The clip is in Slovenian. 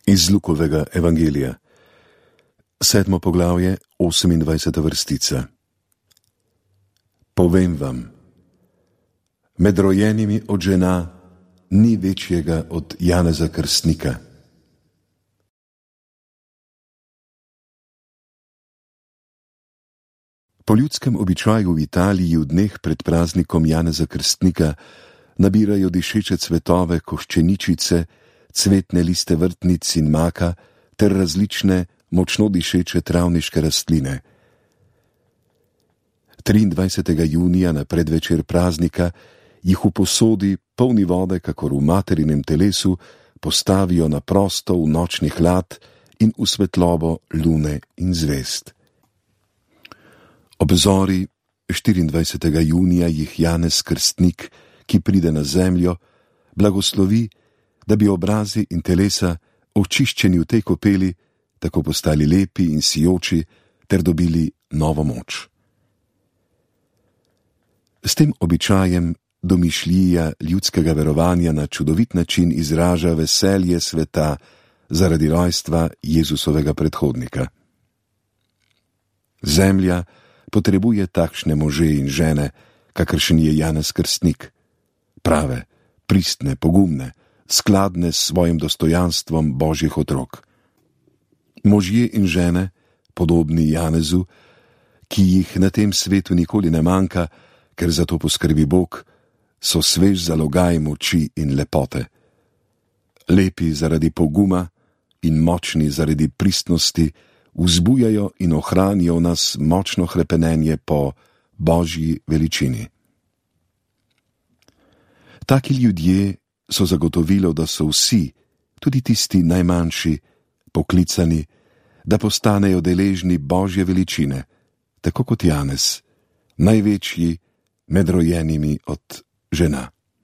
Iz Lukovega evangelija, 7. poglavje, 28. vrstica. Povem vam, med rojenimi od žena ni večjega od Janeza Krstnika. Po ljudskem običaju v Italiji v dneh pred praznikom Janeza Krstnika nabirajo dišeče cvetove, koščeničice, cvetne liste vrtnic in maka ter različne močno dišeče travniške rastline. 23. junija na predvečer praznika jih v posodi, polni vode, kakor v materinem telesu, postavijo na prosto v nočni hlad in v svetlobo lune in zvezd. Ob zori 24. junija jih Janez Krstnik, ki pride na zemljo, blagoslovi, da bi obrazi in telesa, očiščeni v tej kopeli, tako postali lepi in sijoči ter dobili novo moč. S tem običajem domišljija ljudskega verovanja na čudovit način izraža veselje sveta zaradi rojstva Jezusovega predhodnika. Zemlja potrebuje takšne može in žene, kakršen je Janez Krstnik, prave, pristne, pogumne, skladne s svojim dostojanstvom Božjih otrok. Možje in žene, podobni Janezu, ki jih na tem svetu nikoli ne manjka, ker za to poskrbi Bog, so svež zalogaj moči in lepote. Lepi zaradi poguma in močni zaradi pristnosti, vzbujajo in ohranijo v nas močno hrepenenje po Božji veličini. Taki ljudje so zagotovilo, da so vsi, tudi tisti najmanjši, poklicani, da postanejo deležni Božje veličine, tako kot Janez, največji med rojenimi od žena.